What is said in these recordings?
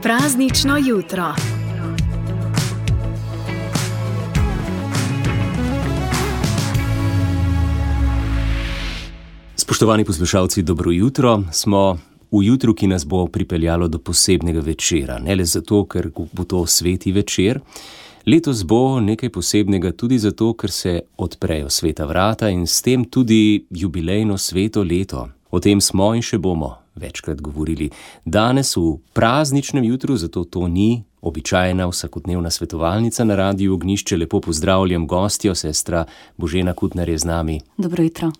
Praznično jutro. Spoštovani poslušalci, dobro jutro. Smo v jutru, ki nas bo pripeljalo do posebnega večera. Ne le zato, ker bo to sveti večer. Letos bo nekaj posebnega tudi zato, ker se odprejo sveta vrata in s tem tudi jubilejno sveto leto. O tem smo in še bomo večkrat govorili. Danes v prazničnem jutru, zato to ni običajna vsakodnevna svetovalnica na Radiu Ognjišče. Lepo pozdravljam gostjo, sestra Božena Kutner je z nami. Dobro jutro.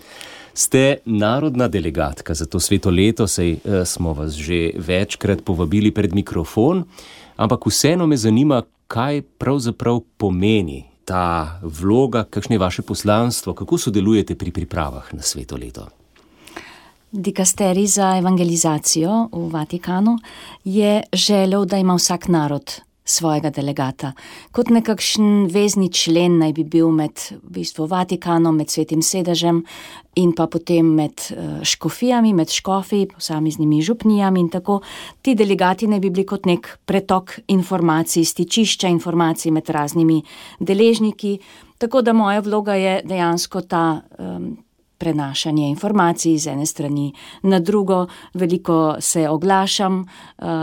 Ste narodna delegatka za to sveto leto, saj smo vas že večkrat povabili pred mikrofon, ampak vseeno me zanima, kaj pravzaprav pomeni ta vloga, kakšno je vaše poslanstvo, kako sodelujete pri pripravah na sveto leto. Dikasterij za evangelizacijo v Vatikanu je želel, da ima vsak narod svojega delegata. Kot nekakšen vezni člen naj bi bil med Vatikanom, med Svetim sedežem in pa potem med škofijami, med škofi, posameznimi župnijami in tako. Ti delegati naj bi bili kot nek pretok informacij, stičišča informacij med raznimi deležniki. Tako da moja vloga je dejansko ta prenašanje informacij z ene strani na drugo, veliko se oglašam,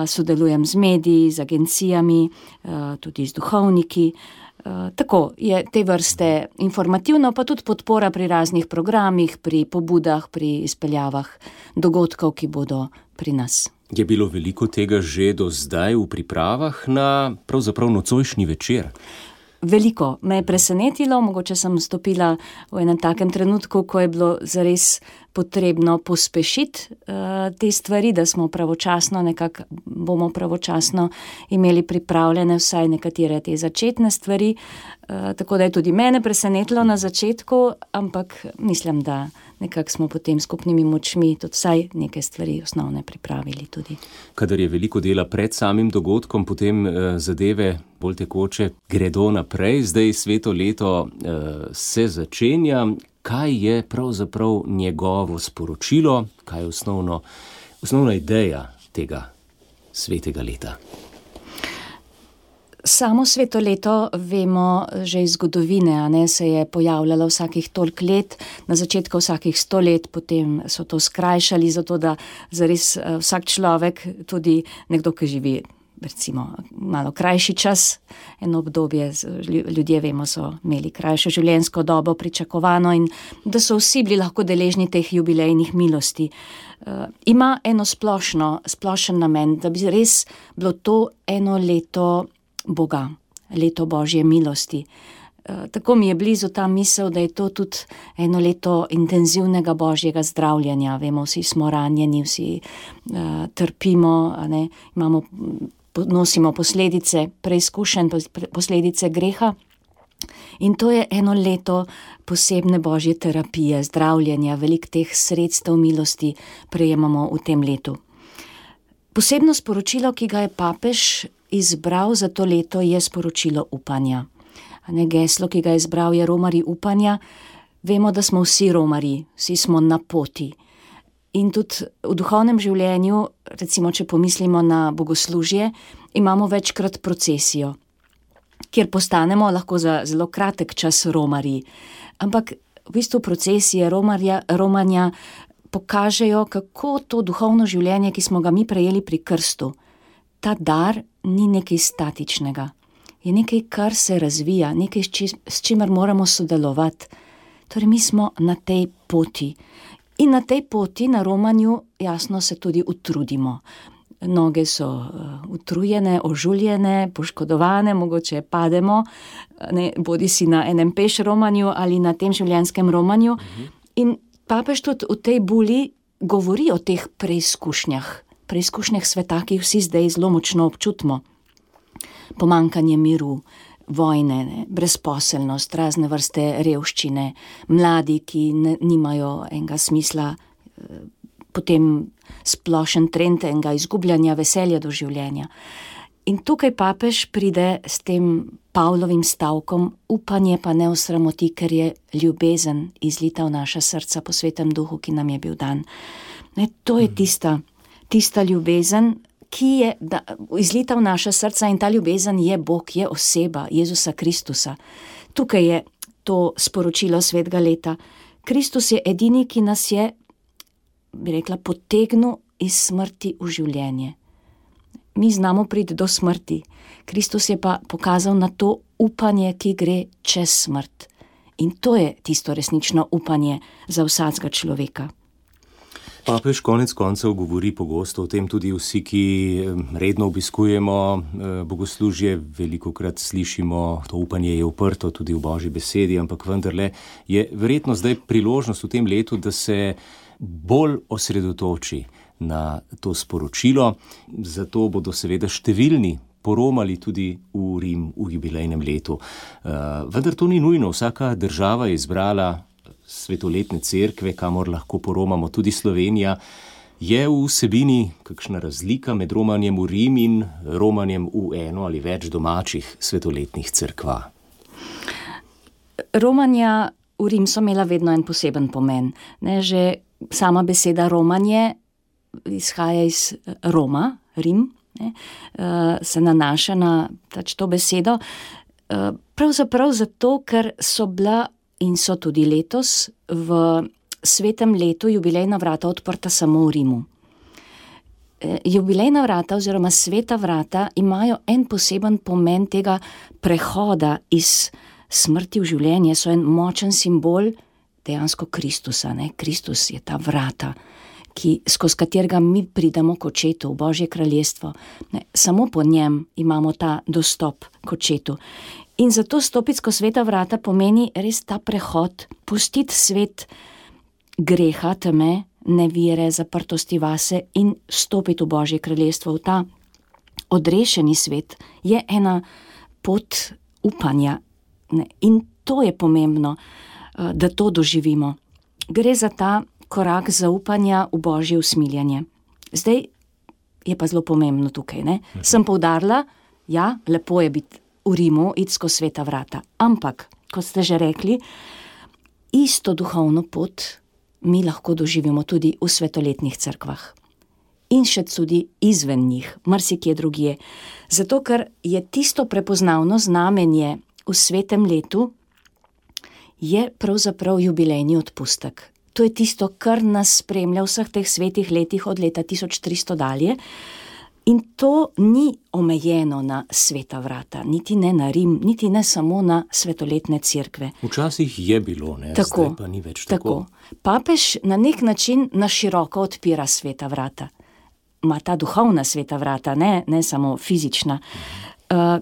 sodelujem z mediji, z agencijami, tudi z duhovniki. Tako je te vrste informativno, pa tudi podpora pri raznih programih, pri pobudah, pri izpeljavah dogodkov, ki bodo pri nas. Je bilo veliko tega že do zdaj v pripravah na pravzaprav nocojšnji večer? Veliko me je presenetilo, mogoče sem stopila v enem takem trenutku, ko je bilo zares potrebno pospešiti te stvari, da smo bomo pravočasno imeli pripravljene vsaj nekatere te začetne stvari, tako da je tudi mene presenetilo na začetku, ampak mislim, da nekako smo potem skupnimi močmi tudi vsaj neke stvari osnovne pripravili tudi. Kadar je veliko dela pred samim dogodkom, potem zadeve bolj tekoče gredo naprej. Zdaj sveto leto se začenja. Kaj je pravzaprav njegovo sporočilo? Kaj je osnovna ideja tega svetega leta? Samo sveto leto vemo že iz zgodovine, se je pojavljalo vsakih toliko let, na začetku vsakih 100 let, potem so to skrajšali, zato da zares vsak človek, tudi nekdo, ki živi recimo malo krajši čas, eno obdobje, ljudje vemo, so imeli krajšo življenjsko dobo pričakovano in da so vsi bili lahko deležni teh jubilejnih milosti. Ima eno splošen namen, da bi res bilo to eno leto Boga, leto Božje milosti. Tako mi je blizu ta misel, da je to tudi eno leto intenzivnega Božjega zdravljenja. Vemo, vsi smo ranjeni, vsi trpimo, nosimo posledice preizkušenj, posledice greha. In to je eno leto posebne Božje terapije, zdravljenja, veliko teh sredstev milosti prejemamo v tem letu. Posebno sporočilo, ki ga je papež izbral za to leto, je sporočilo upanja. Geslo, ki ga je izbral, je romarji upanja. Vemo, da smo vsi romarji, vsi smo na poti. In tudi v duhovnem življenju, recimo, če pomislimo na bogoslužje, imamo večkrat procesijo, kjer postanemo lahko za zelo kratek čas romarji. Ampak v bistvu procesije romanja pokažejo, kako to duhovno življenje, ki smo ga mi prejeli pri krstu, ta dar ni nekaj statičnega. Je nekaj, kar se razvija, nekaj, s čimer moramo sodelovati. Torej, mi smo na tej poti. In na tej poti, na romanju, jasno se tudi utrudimo. Noge so utrujene, ožuljene, poškodovane, mogoče pademo, bodi si na enem peš romanju ali na tem življenjskem romanju. In papež tudi v tej buli govori o teh preizkušnjah sveta, ki jih vsi zdaj zelo močno občutimo. Pomanjkanje miru, vojne, brezposelnost, razne vrste revščine, mladi, ki nimajo enega smisla, potem splošen trend enega izgubljanja veselja do življenja. In tukaj papež pride s tem Pavlovim stavkom: upanje pa ne osramoti, ker je ljubezen izlita v naša srca po Svetem Duhu, ki nam je bil dan. To je tista ljubezen, ki je izlita v naša srca, in ta ljubezen je Bog, je oseba Jezusa Kristusa. Tukaj je to sporočilo svetega leta. Kristus je edini, ki nas je, bi rekla, potegnil iz smrti v življenje. Mi znamo priti do smrti. Kristus je pa pokazal na to upanje, ki gre čez smrt. In to je tisto resnično upanje za vsakega človeka. Papež konec koncev govori pogosto o tem, tudi vsi, ki redno obiskujemo bogoslužje, velikokrat slišimo, to upanje je uprto tudi v Božji besedi, ampak vendarle je verjetno zdaj priložnost v tem letu, da se bolj osredotoči na to sporočilo. Zato bodo seveda številni poromali tudi v Rim v jubilejnem letu. Vendar to ni nujno. Vsaka država je izbrala svetoletne cerkve, kamor lahko poromamo. Tudi Slovenija. Je v vsebini kakšna razlika med romanjem v Rim in romanjem v eno ali več domačih svetoletnih cerkva? Romanja v Rim so imela vedno en poseben pomen. Že sama beseda romanje izhaja iz Roma, Rim, se nanaša na to besedo. Pravzaprav zato, ker so bila in so tudi letos v svetem letu jubilejna vrata odprta samo v Rimu. Jubilejna vrata oziroma sveta vrata imajo en poseben pomen tega prehoda iz smrti v življenje, so en močen simbol dejansko Kristusa. Kristus je ta vrata, skozi katerega mi pridemo k očetu, v Božje kraljestvo. Samo po njem imamo ta dostop k očetu. In zato stopiti skozi sveta vrata pomeni res ta prehod, pustiti svet greha, teme, nevire, zaprtosti vase in stopiti v Božje kraljestvo. V ta odrešeni svet je ena pot upanja. In to je pomembno, da to doživimo. Gre za ta korak zaupanja v Božje usmiljanje. Zdaj je pa zelo pomembno tukaj. Sem poudarila, ja, lepo je biti v Rimu, iti skozi sveta vrata. Ampak, kot ste že rekli, isto duhovno pot mi lahko doživimo tudi v svetoletnih cerkvah. In še tudi izven njih, marsikje drugje. Zato, ker je tisto prepoznavno znamenje v svetem letu, je pravzaprav jubilejni odpustek. To je tisto, kar nas spremlja v vseh teh svetih letih od leta 1300 dalje. In to ni omejeno na sveta vrata, niti ne na Rim, niti ne samo na svetoletne cerkve. Včasih je bilo, zdaj pa ni več tako. Papež na nek način na široko odpira sveta vrata. Ma ta duhovna sveta vrata, ne samo fizična.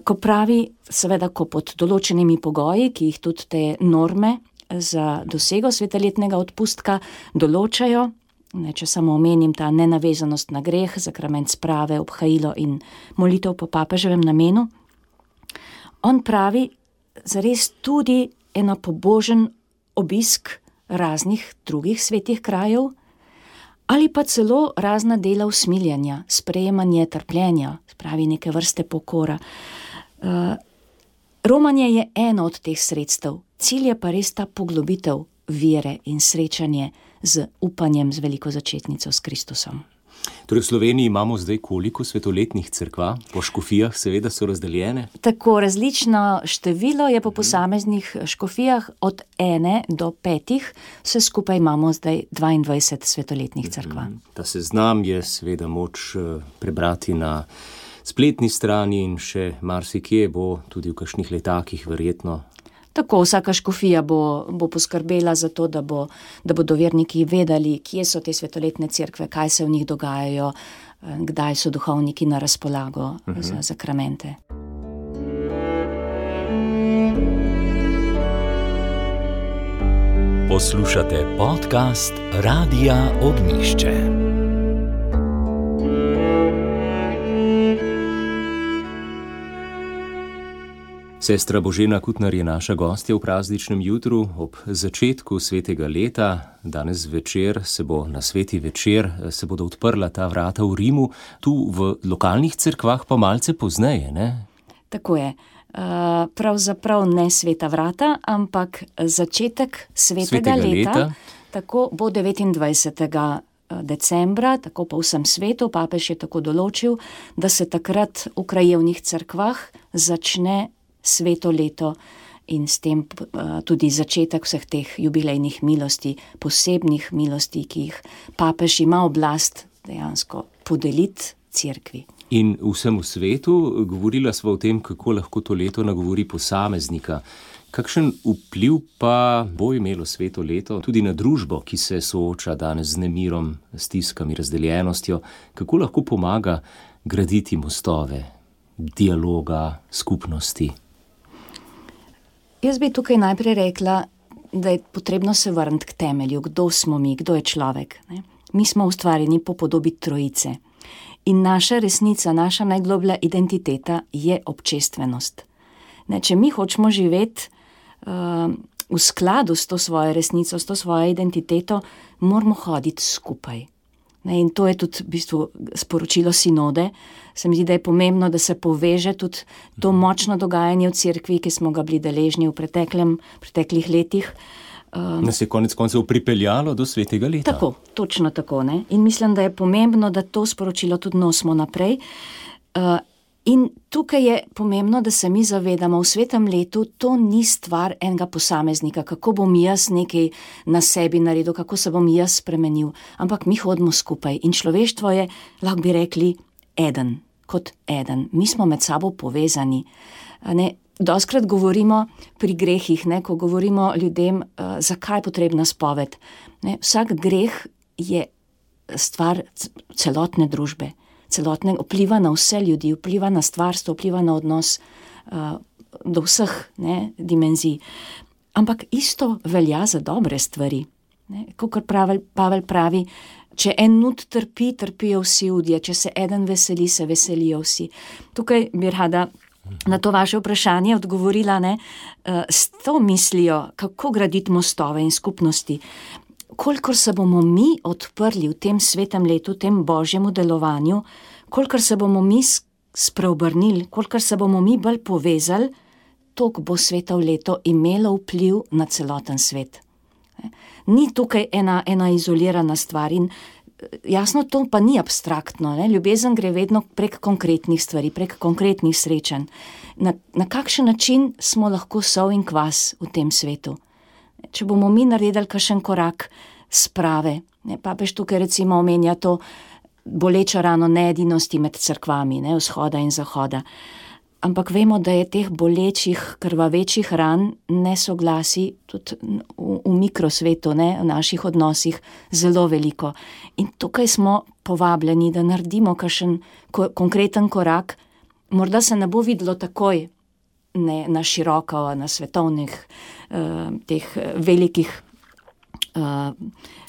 Ko pravi, seveda, ko pod določenimi pogoji, ki jih tudi te norme za dosego svetoletnega odpustka določajo, če samo omenim ta nenavezanost na greh, sakrament sprave, obhajilo in molitev po papeževem namenu, on pravi zares tudi eno pobožen obisk raznih drugih svetih krajev ali pa celo razna dela usmiljanja, sprejemanje trpljenja, spravi neke vrste pokora. Romanje je eno od teh sredstev, cilj je pa res ta poglobitev vere in srečanje z upanjem, z veliko začetnico, s Kristusom. Torej v Sloveniji imamo zdaj koliko svetoletnih cerkva? Po škofijah seveda so razdeljene? Tako, različno število je po posameznih škofijah od 1 do 5, vse skupaj imamo zdaj 22 svetoletnih cerkva. Ta seznam je seveda moč prebrati na spletni strani in še marsikje bo tudi v kakšnih letakih verjetno. Tako, vsaka škofija bo poskrbela za to, da bodo verniki vedeli, kje so te svetoletne cerkve, kaj se v njih dogajajo, kdaj so duhovniki na razpolago za sakramente. Poslušate podcast Radia Ognjišče. Sestra Božena Kutnar je naša gostja v prazničnem jutru ob začetku svetega leta. Danes večer se bo na sveti večer, se bodo odprla ta vrata v Rimu, tu v lokalnih cerkvah pa malce pozneje, ne? Tako je. Pravzaprav ne sveta vrata, ampak začetek svetega leta. Tako bo 29. decembra, tako po vsem svetu, papež je tako določil, da se takrat v krajevnih cerkvah začne sveto leto in s tem tudi začetek vseh teh jubilejnih milosti, posebnih milosti, ki jih papež ima oblast dejansko podeliti cerkvi. In vsemu svetu govorila sva o tem, kako lahko to leto nagovori posameznika. Kakšen vpliv pa bo imelo sveto leto tudi na družbo, ki se sooča danes z nemirom, stiskami, razdeljenostjo? Kako lahko pomaga graditi mostove, dialoga, skupnosti? Jaz bi tukaj najprej rekla, da je potrebno se vrniti k temelju, kdo smo mi, kdo je človek. Ne? Mi smo ustvarjeni po podobi Trojice in naša resnica, naša najgloblja identiteta je občestvenost. Ne, če mi hočemo živeti v skladu s to svojo resnico, s to svojo identiteto, moramo hoditi skupaj. Ne, in to je tudi v bistvu sporočilo sinode. Se mi zdi, da je pomembno, da se poveže tudi to močno dogajanje v cerkvi, ki smo ga bili deležni v preteklih letih. Nas je konec koncev pripeljalo do svetega leta. Tako, točno tako. Ne? In mislim, da je pomembno, da to sporočilo tudi nosimo naprej. In tukaj je pomembno, da se mi zavedamo, v svetem letu to ni stvar enega posameznika, kako bom jaz nekaj na sebi naredil, kako se bom jaz spremenil, ampak mi hodimo skupaj in človeštvo je, lahko bi rekli, eden, kot eden. Mi smo med sabo povezani. Dostikrat govorimo pri grehih, ne, ko govorimo ljudem, zakaj je potrebna spoved. Ne, vsak greh je stvar celotne družbe. Celotne vpliva na vse ljudi, vpliva na stvarstvo, vpliva na odnos do vseh dimenzij. Ampak isto velja za dobre stvari. Kakor Pavel pravi, če en nud trpi, trpijo vsi udje, če se eden veseli, se veselijo vsi. Tukaj bi rada na to vaše vprašanje odgovorila, s to mislijo, kako graditi mostove in skupnosti. Kolikor se bomo mi odprli v tem svetem letu, v tem božjemu delovanju, kolikor se bomo mi spreobrnili, kolikor se bomo mi bolj povezali, toliko bo sveto leto imelo vpliv na celoten svet. Ni tukaj ena izolirana stvar in jasno, to pa ni abstraktno. Ljubezen gre vedno prek konkretnih stvari, prek konkretnih srečanj. Na kakšen način smo lahko sol in kvas v tem svetu? Če bomo mi naredili kakšen korak sprave, papež tukaj recimo omenja to bolečo rano needinosti med cerkvami, vzhoda in zahoda. Ampak vemo, da je teh bolečih, krvavečih ran, nesoglasi tudi v mikrosvetu, v naših odnosih zelo veliko. In tukaj smo povabljeni, da naredimo kakšen konkreten korak. Morda se ne bo videlo takoj, ne na široko, na svetovnih teh velikih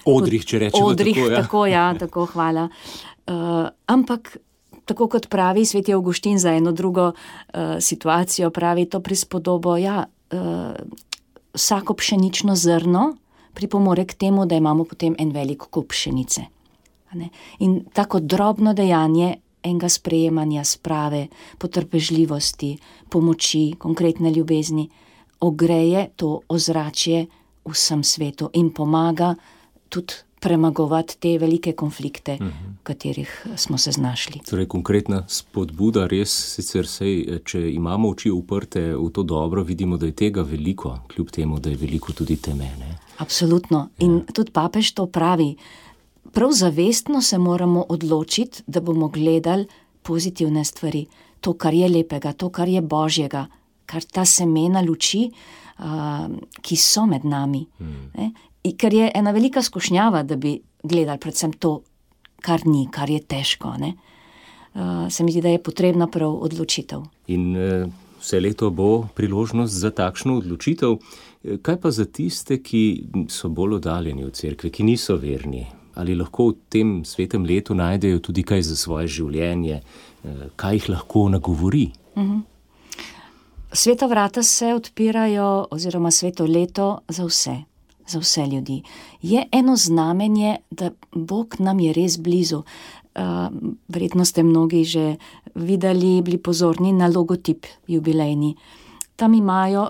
odrih, če rečemo tako, tako, hvala. Ampak tako kot pravi sveti Avguštin za eno drugo situacijo, pravi to prispodobo, vsako pšenično zrno pripomore k temu, da imamo potem en velik kup pšenice. In tako drobno dejanje enega sprejemanja, sprave, potrpežljivosti, pomoči, konkretne ljubezni, ogreje to ozračje vsem svetu in pomaga tudi premagovati te velike konflikte, v katerih smo se znašli. Torej, konkretna spodbuda, res sicer če imamo oči uprte v to dobro, vidimo, da je tega veliko, kljub temu, da je veliko tudi teme. Absolutno. In tudi papež to pravi. Prav zavestno se moramo odločiti, da bomo gledali pozitivne stvari. To, kar je lepega, to, kar je božjega, kar ta semena luči, ki so med nami. Ker je ena velika skušnjava, da bi gledali predvsem to, kar ni, kar je težko. Se mi zdi, da je potrebna prav odločitev. In vse leto bo priložnost za takšno odločitev. Kaj pa za tiste, ki so bolj oddaljeni od cerkve, ki niso verni? Ali lahko v tem svetem letu najdejo tudi kaj za svoje življenje, kaj jih lahko nagovori? Sveta vrata se odpirajo, oziroma sveto leto za vse ljudi. Je eno znamenje, da Bog nam je res blizu. Verjetno ste mnogi že videli, bili pozorni na logotip jubilejni. Tam imajo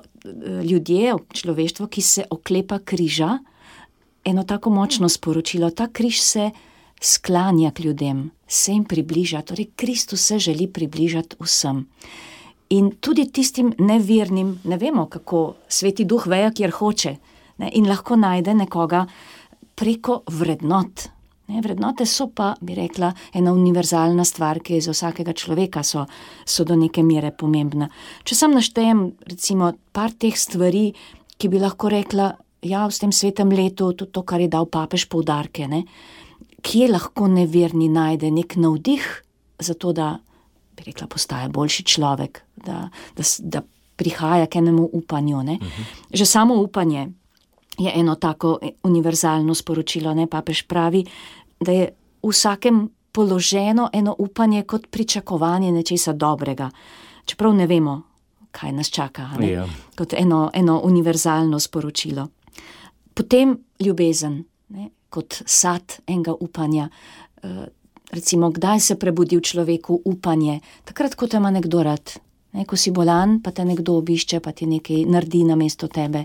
ljudje, človeštvo, ki se oklepa križa, eno tako močno sporočilo. Ta križ se sklanja k ljudem, se jim približa, torej Kristus se želi približati vsem. In tudi tistim nevernim, ne vemo, kako Sveti Duh veje, kjer hoče, ne, in lahko najde nekoga preko vrednot. Ne, vrednote so pa, bi rekla, ena univerzalna stvar, ki je za vsakega človeka so do neke mere pomembna. Če sam naštejem, recimo, par teh stvari, ki bi lahko rekla, ja, v tem svetem letu, tudi to, kar je dal papež poudarke, ne, kje lahko neverni najde nek navdih za to, da, bi rekla, postaja boljši človek, da prihaja k enemu upanju. Ne. Že samo upanje je eno tako univerzalno sporočilo, ne, papež pravi, da je v vsakem položeno eno upanje kot pričakovanje nečesa dobrega. Čeprav ne vemo, kaj nas čaka, ne? Ja. Kot eno univerzalno sporočilo. Potem ljubezen, ne? Kot sad enega upanja. Recimo, kdaj se prebudi v človeku upanje? Takrat, ko te ima nekdo rad. Ne? Ko si bolan, pa te nekdo obišče, pa ti nekaj naredi namesto tebe.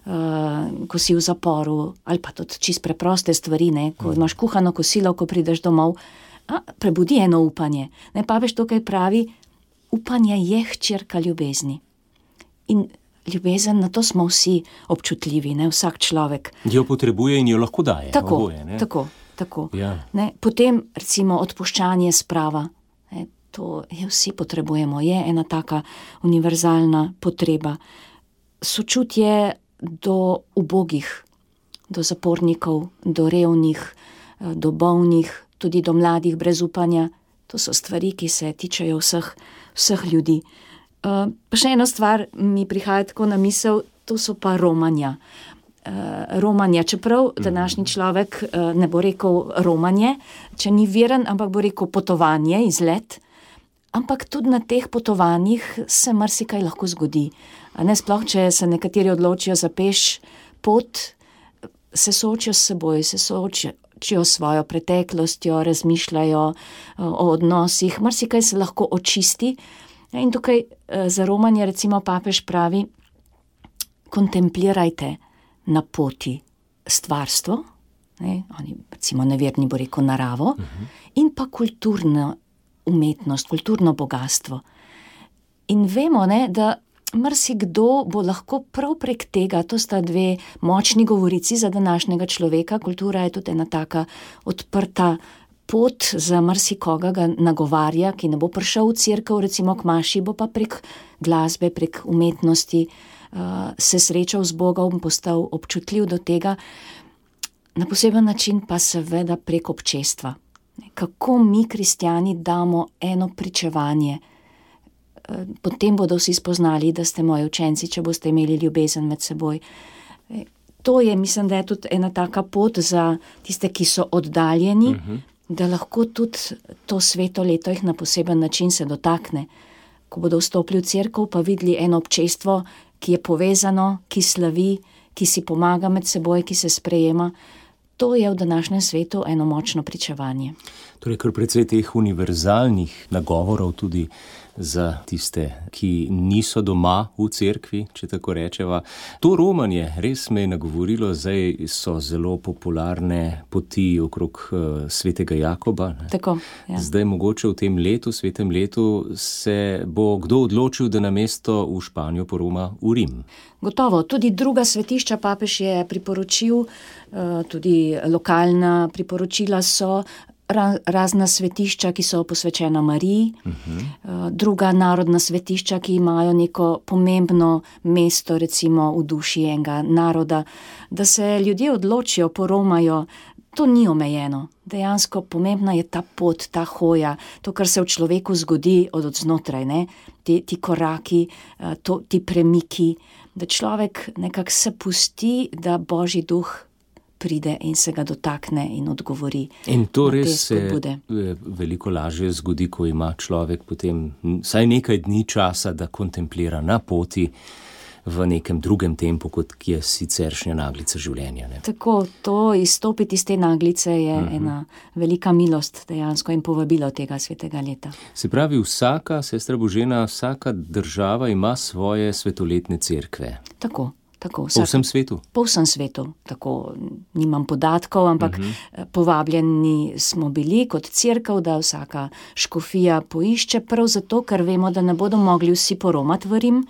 Ko si v zaporu, ali pa tudi čist preproste stvari, ne? Ko imaš kuhano kosilo, ko prideš domov, prebudi eno upanje. Ne, papež tukaj pravi, upanje je hčerka ljubezni. In ljubezen, na to smo vsi občutljivi, ne? Vsak človek. Jo potrebuje in jo lahko daje. Tako, oboje, ne? tako. Ja. Ne? Potem, recimo, odpuščanje sprava. Ne? To je vsi potrebujemo, je ena taka univerzalna potreba. Sočutje do ubogih, do zapornikov, do revnih, do bolnih, tudi do mladih brez upanja. To so stvari, ki se tičejo vseh ljudi. Pa še ena stvar mi prihaja tako na misel, to so pa romanja. Romanja, čeprav današnji človek ne bo rekel romanje, če ni veren, ampak bo rekel potovanje, izlet. Ampak tudi na teh potovanjih se marsikaj lahko zgodi. Ne, sploh, če se nekateri odločijo za peš pot, se soočijo s seboj, se soočijo s svojo preteklostjo, razmišljajo o odnosih, marsikaj se lahko očisti. In tukaj za romanje recimo papež pravi, kontemplirajte na poti stvarstvo, ne, oni recimo neverni bo rekel naravo, in pa kulturno umetnost, kulturno bogatstvo. In vemo, ne, da marsikdo bo lahko prav prek tega, to sta dve močni govorici za današnjega človeka, kultura je tudi ena taka odprta pot za marsikoga, ga nagovarja, ki ne bo prišel v cerkev, recimo k maši, bo pa prek glasbe, prek umetnosti se srečal z Bogom, postal občutljiv do tega, na poseben način pa seveda prek občestva. Kako mi, kristjani, damo eno pričevanje. Potem bodo vsi spoznali, da ste moji učenci, če boste imeli ljubezen med seboj. To je, mislim, da je tudi ena taka pot za tiste, ki so oddaljeni, da lahko tudi to sveto leto jih na poseben način se dotakne. Ko bodo vstopili v cerkev, pa videli eno občestvo, ki je povezano, ki slavi, ki si pomaga med seboj, ki se sprejema. To je v današnjem svetu eno močno pričevanje. Torej, kar precej teh univerzalnih nagovorov tudi za tiste, ki niso doma v cerkvi, če tako rečeva. To romanje res me je nagovorilo, zdaj so zelo popularne poti okrog svetega Jakoba. Ne? Tako, ja. Zdaj mogoče v tem letu, svetem letu, se bo kdo odločil, da namesto v Španijo poroma v Rim. Gotovo, tudi druga svetišča papež je priporočil, tudi lokalna priporočila so, razna svetišča, ki so posvečena Mariji, druga narodna svetišča, ki imajo neko pomembno mesto, recimo v duši enega naroda, da se ljudje odločijo, poromajo. To ni omejeno. Dejansko pomembna je ta pot, ta hoja, to, kar se v človeku zgodi od znotraj, ne? Ti koraki, ti premiki, da človek nekako se pusti, da Božji duh pride in se ga dotakne in odgovori. In to na te res se spodbude. veliko lažje zgodi, ko ima človek potem vsaj nekaj dni časa, da kontemplira na poti v nekem drugem tempu, kot je siceršnja naglica življenja. Ne? Tako, to izstopiti iz te naglice je ena velika milost dejansko in povabilo tega svetega leta. Se pravi, vsaka, sestra Božena, vsaka država ima svoje svetoletne cerkve. Tako. Po vsem svetu? Po vsem svetu, tako nimam podatkov, ampak povabljeni smo bili kot cerkev, da vsaka škofija poišče, prav zato, ker vemo, da ne bodo mogli vsi poromati v Rim.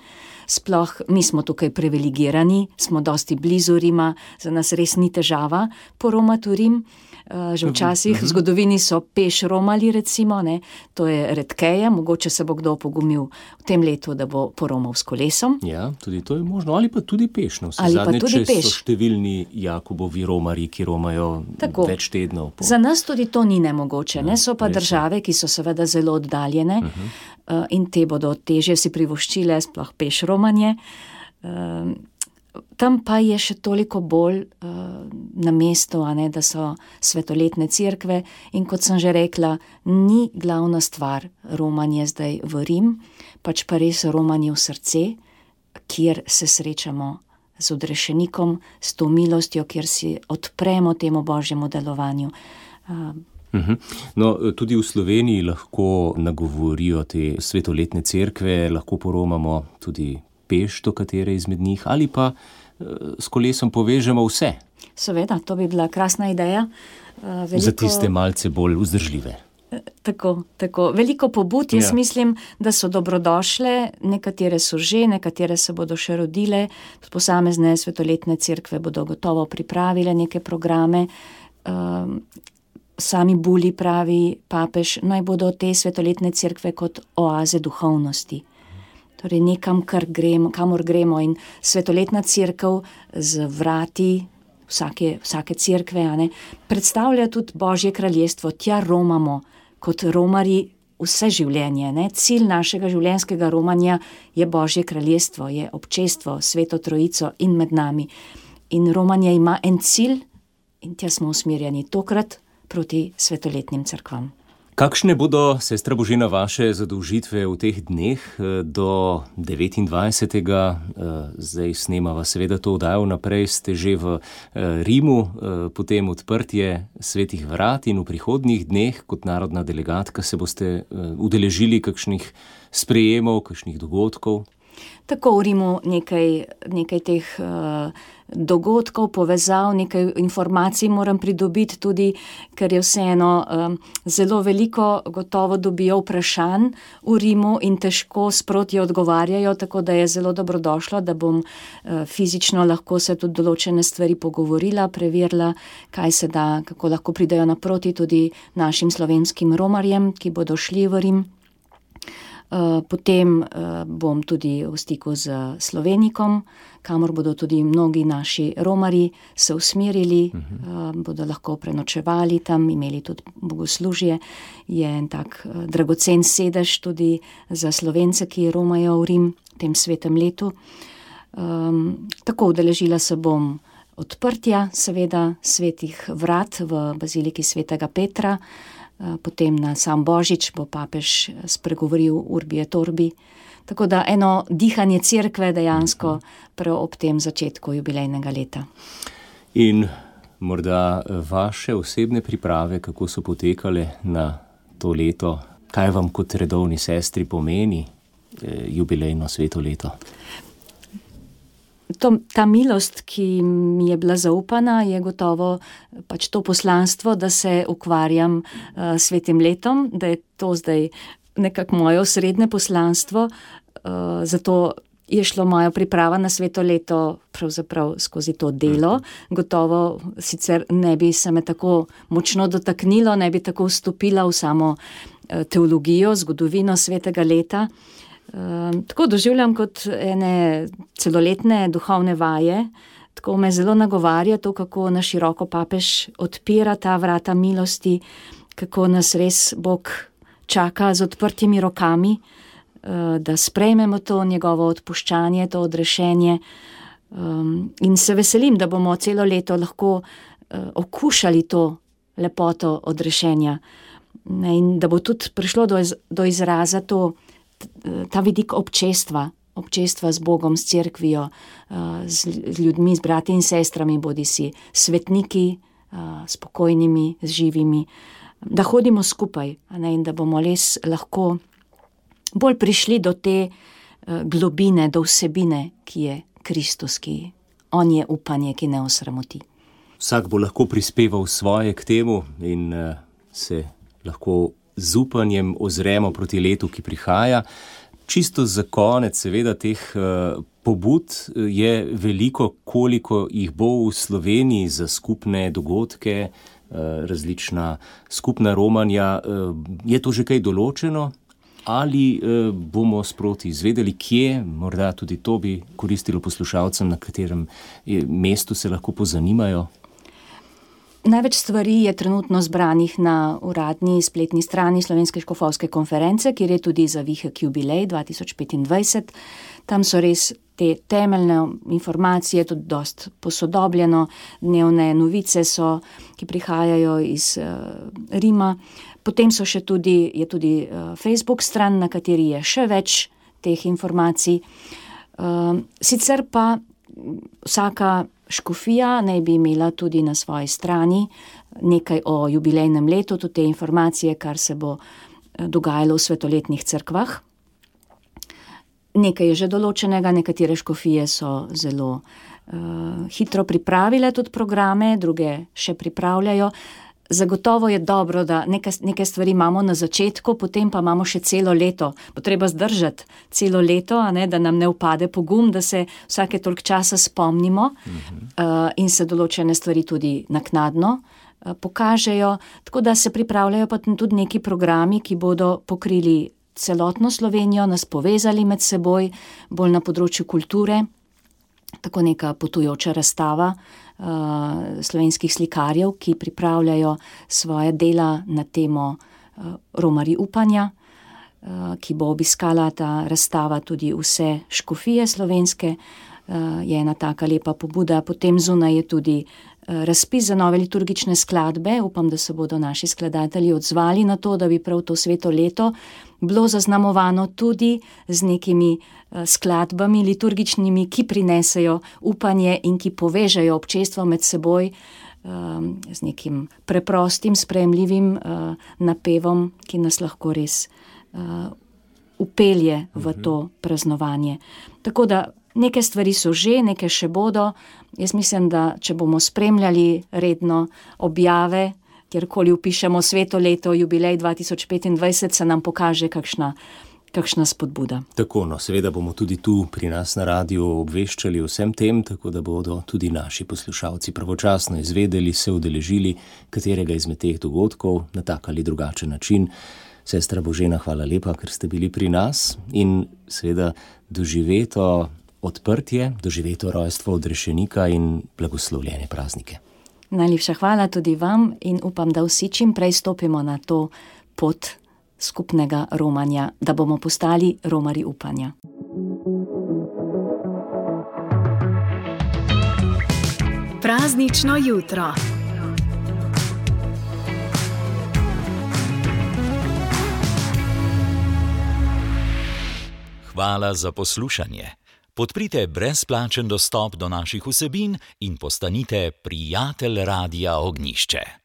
Sploh mi smo tukaj privilegirani, smo dosti blizu Rima, za nas res ni težava poromati v Rim. Že včasih v zgodovini so peš romali, recimo, ne, to je redkeje, mogoče se bo kdo pogumil v tem letu, da bo poromal s kolesom. Ja, tudi to je možno, ali pa tudi peš. Ali pa tudi peš. So številni Jakobovi romari, ki romajo več tednov. Za nas tudi to ni nemogoče, ne, so pa države, ki so seveda zelo oddaljene in te bodo težje si privoščile, sploh peš romanje. Tam pa je še toliko bolj na mestu, da so svetoletne cerkve in kot sem že rekla, ni glavna stvar romanje zdaj v Rim, pač pa res romanje v srce, kjer se srečamo z odrešenikom, s to milostjo, kjer si odpremo temu Božjemu delovanju. No, tudi v Sloveniji lahko nagovorijo te svetoletne cerkve, lahko poromamo tudi peš do katere izmed njih, ali pa s kolesom povežemo vse. Seveda, to bi bila krasna ideja. Za tiste malce bolj vzdržljive. Tako. Veliko pobud, jaz mislim, da so dobrodošle, nekatere so že, nekatere se bodo še rodile, posamezne svetoletne cerkve bodo gotovo pripravile neke programe. Sami Buli pravi papež, naj bodo te svetoletne cerkve kot oaze duhovnosti. Torej nekam, kamor gremo in svetoletna cerkev z vrati vsake cerkve, predstavlja tudi Božje kraljestvo, tja romamo kot romari vse življenje. Cilj našega življenjskega romanja je Božje kraljestvo, je občestvo, Sveto Trojico in med nami. In romanje ima en cilj in tja smo usmerjeni tokrat proti svetoletnim cerkvam. Kakšne bodo, sestra Božena, vaše zadolžitve v teh dneh do 29. Zdaj snemava seveda to oddajo naprej, ste že v Rimu, potem odprtje svetih vrat in v prihodnjih dneh kot narodna delegatka se boste udeležili kakšnih sprejemov, kakšnih dogodkov? Tako v Rimu nekaj teh dogodkov, povezav, nekaj informacij moram pridobiti tudi, ker je vseeno zelo veliko gotovo dobijo vprašanj v Rimu in težko sproti odgovarjajo, tako da je zelo dobrodošlo, da bom fizično lahko se tudi določene stvari pogovorila, preverila, kaj se da, kako lahko pridejo naproti tudi našim slovenskim romarjem, ki bodo šli v Rim. Potem bom tudi v stiku z Slovenikom, kamor bodo tudi mnogi naši romari se usmerili, bodo lahko prenočevali tam, imeli tudi bogoslužje. Je en tak dragocen sedež tudi za Slovence, ki romajo v Rim v tem svetem letu. Tako udeležila se bom odprtja, seveda, svetih vrat v baziliki svetega Petra. Potem na sam Božič bo papež spregovoril Urbi et Orbi. Tako da eno dihanje cerkve dejansko prav ob tem začetku jubilejnega leta. In morda vaše osebne priprave, kako so potekale na to leto? Kaj vam kot redovni sestri pomeni jubilejno sveto leto? Ta milost, ki mi je bila zaupana, je gotovo pač to poslanstvo, da se ukvarjam s svetim letom, da je to zdaj nekako moje osrednje poslanstvo, zato je šlo moja priprava na sveto leto pravzaprav skozi to delo. Gotovo sicer ne bi se me tako močno dotaknilo, ne bi tako vstopila v samo teologijo, zgodovino svetega leta. Tako doživljam kot ene celoletne duhovne vaje, tako me zelo nagovarja to, kako na široko papež odpira ta vrata milosti, kako nas res Bog čaka z odprtimi rokami, da sprejmemo to njegovo odpuščanje, to odrešenje. In se veselim, da bomo celo leto lahko okušali to lepoto odrešenja. In da bo tudi prišlo do izraza ta vidik občestva z Bogom, s cerkvijo, z ljudmi, z brati in sestrami, bodisi svetniki, spokojnimi, z živimi, da hodimo skupaj, in da bomo res lahko bolj prišli do te globine, do vsebine, ki je Kristus, ki on je upanje, ki ne osramoti. Vsak bo lahko prispeval svoje k temu in se lahko z upanjem ozremo proti letu, ki prihaja. Čisto za konec, seveda, teh pobud je veliko, koliko jih bo v Sloveniji za skupne dogodke, različna skupna romanja. Je to že kaj določeno? Ali bomo sproti izvedeli, kje, morda tudi to bi koristilo poslušalcem, na katerem mestu se lahko pozanimajo? Največ stvari je trenutno zbranih na uradni spletni strani Slovenske škofovske konference, kjer je tudi Zavihek jubilej 2025. Tam so res te temeljne informacije, tudi dost posodobljeno, dnevne novice so, ki prihajajo iz Rima. Potem je tudi Facebook stran, na kateri je še več teh informacij. Sicer pa vsaka škofija naj bi imela tudi na svoji strani nekaj o jubilejnem letu, tudi te informacije, kar se bo dogajalo v svetoletnih cerkvah. Nekaj je že določenega, nekatere škofije so zelo hitro pripravile tudi programe, druge še pripravljajo. Zagotovo je dobro, da neke stvari imamo na začetku, potem pa imamo še celo leto. Bo treba zdržati celo leto, da nam ne upade pogum, da se vsake toliko časa spomnimo in se določene stvari tudi naknadno pokažejo. Tako da se pripravljajo pa tudi neki programi, ki bodo pokrili celotno Slovenijo, nas povezali med seboj, bolj na področju kulture. Tako neka potujoča razstava slovenskih slikarjev, ki pripravljajo svoje dela na temo romarji upanja, ki bo obiskala ta razstava tudi vse škofije slovenske. Je ena taka lepa pobuda. Potem zunaj je tudi razpis za nove liturgične skladbe. Upam, da se bodo naši skladatelji odzvali na to, da bi prav to sveto leto bilo zaznamovano tudi z nekimi skladbami liturgičnimi, ki prinesejo upanje in ki povežejo občestvo med seboj z nekim preprostim, sprejemljivim napevom, ki nas lahko res upelje v to praznovanje. Tako da neke stvari so že, neke še bodo. Jaz mislim, da če bomo spremljali redno objave, kjerkoli vpišemo sveto leto, jubilej 2025, se nam pokaže kakšna spodbuda. Tako, seveda bomo tudi tu pri nas na radiu obveščali o vsem tem, tako da bodo tudi naši poslušalci pravočasno izvedeli, se udeležili katerega izmed teh dogodkov na tak ali drugačen način. Sestra Božena, hvala lepa, ker ste bili pri nas in seveda doživeto odprtje, doživeto rojstvo odrešenika in blagoslovljene praznike. Najlepša hvala tudi vam in upam, da vsi čim prej stopimo na to pot skupnega romanja, da bomo postali romarji upanja. Praznično jutro. Hvala za poslušanje. Podprite brezplačen dostop do naših vsebin in postanite prijatelj Radia Ognjišče.